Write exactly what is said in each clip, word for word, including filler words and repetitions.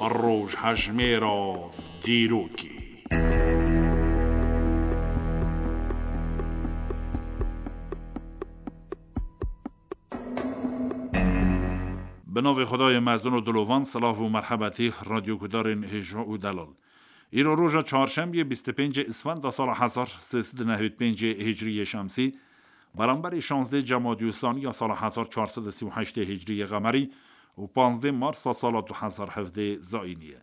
Rojhejmêra dîrokê. Bi navê Xwedayê mezin û dilovan, silav û merhebetî radyogudarên hêja û delal. Îro roja çarşembiyê, bîst û pêncê Îsfenda sala hezar sê sed û nehwêd pêncê Hicriyê Şemsî, beramberî şazdê Cemadî Usaniya sala hezar çar sed û sî û heştê Hicriyê Qemerî û panzdê Marsa sala du hezar hevdê Zayînî ye.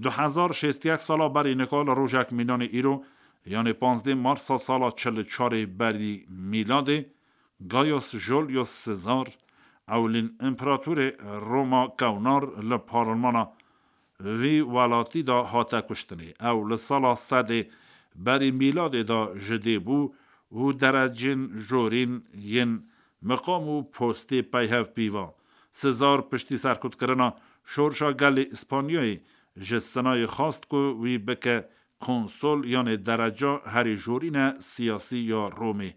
Du hezar şêst û yek sala berî nika li rojek mînanê îro, yanê panzdê Marsa sala çil û çarê berî mîladê, Gaius Julius Caesar, ewlîn împeratorê Roma kewnar, li parlmana vî welatî de hate kuştinê. Ew li sala sedê berî mîladê de ji dê bû û derecên jorîn yên miqam û postê peyhev pîva. Caesar piştî serkutkirina şorşa gelê Îspanyayê ji Sinayê xwest ku wî bike konsol, yanê dereca herî jorîne siyasî ya Romê.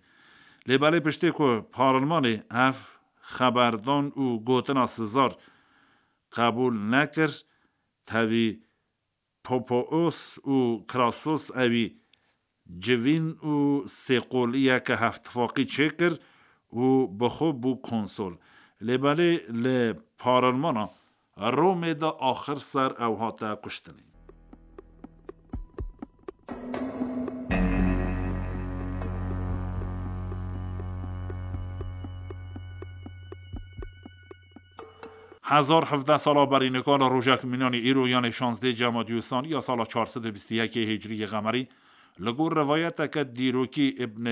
Lê belê piştê ku parlmanê ev xeberdan û gotina Caesar qebûl nekir, tevî Popoos û Crassus ewî civîn û sêqoliyeke hevtifaqî çêkir û bi xwe bû konsol. Lê belê li parlmana Romê de axir ser ew hate kuştinê. Hezar hevdeh sala berî nika li rojek mînanî îro, yanê şazdê Cemadî Usaniya sala çar sed û bîst û yekê Hicriyê Qemerî, li gor rivayeteke dîrokî Îbn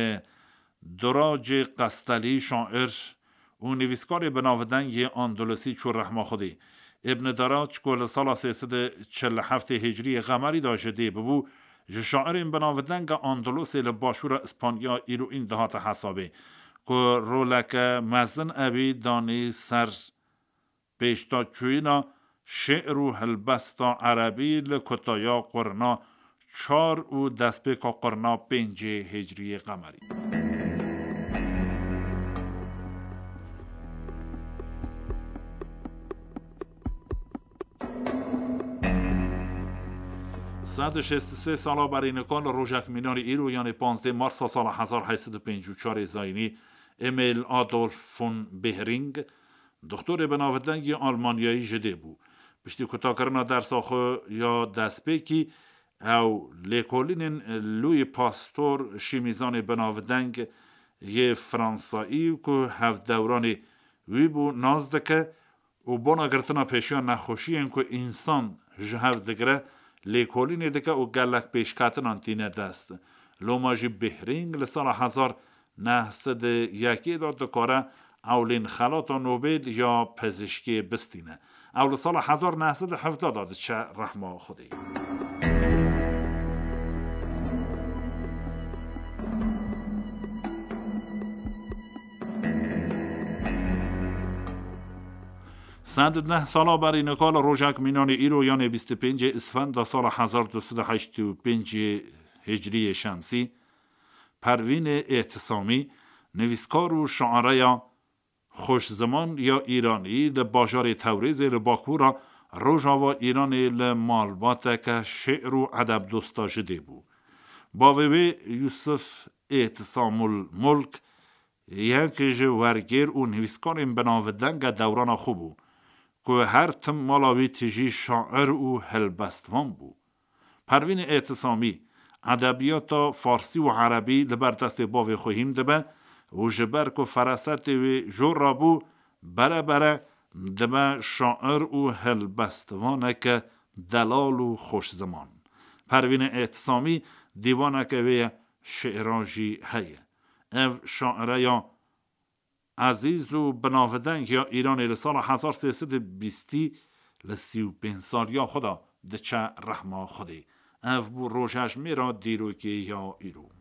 Duracê Qestelî, şair û nivîskarê binavdeng yê Andalusî, çû rehma Xwedê. Îbn Darac ku li sala sê sed û çil û heftê Hicriyê Qemerî de ji dê bibû, ji şairên binavdenge Andalusê li başûra Îspanya îroîn dihate hesabê, ku roleke mezin ewî danî ser pêşdaçûyîna şi'r û helbesta erebî li kutaya qurna çar û destpêka qurna pêncê Hicriyê Qemerî. Sed û şêst û sê sala berî nika li rojek mînanî îro, yanê panzdê Marsa sala hezar heyt sed û pêncî û çarê Zayînî, Emil Adolf von Behring, doktorê binavdeng yê Almanyayî ji dê bû. Piştî kutakirina dersa xwe ya destpêkî, ew lêkolînên Louis Pasteur, şîmîzanê binavdeng yê Fransayî ku hevdewranê wî bû, nas dike û bona girtina pêşiya nexweşiyên ku însan ji hev digire, lêkolînê dike û gelek pêşketinan tîne dest. Loma jî Behring li sala hezar neh sed û yekê de dikare ewlîn xelata Nobel ya pizîşkê bistîne. Ew li sala hezar neh sed û hevdeh de diçe rehma Xwedê. Sed û neh sala berî nika li rojek mînanê îro, yanê bîst û pêncê Îsfenda sala hezar du sed û heştê û pêncê Hicriyê Şemsî, Pervînê Êtisamî, nivîskar û şareya xweşziman ya Îranî, li bajarê Tewrêzê li bakûra rojava Îranê li malbateke şê'r û edebdosta ji dê bû. Bavê wê Yusuf Êtisamul Mulk yek ji wergêr û nivîskarên binavdenge dewrana xwe bû, ku her tim mala wî tijî şair û helbestvan bû. Pervînê Êtisamî edebiyata farsî û erebî li ber destê bavê xwe hîn dibe û ji ber ku ferasetê wê jor rabû, bere bere dibe şair û helbestvaneke delal û xweşziman. Pervînê Êtisamî dîvaneke wê ye, şêran jî heye. Ev şaire ya ezîz û binavdeng ya Îranê li sala hezar sê sed û bîstî li sî û pênc saliya xwe de diçe rehma Xwedê. Ev bû rojhejmêra dîrokê ya îro.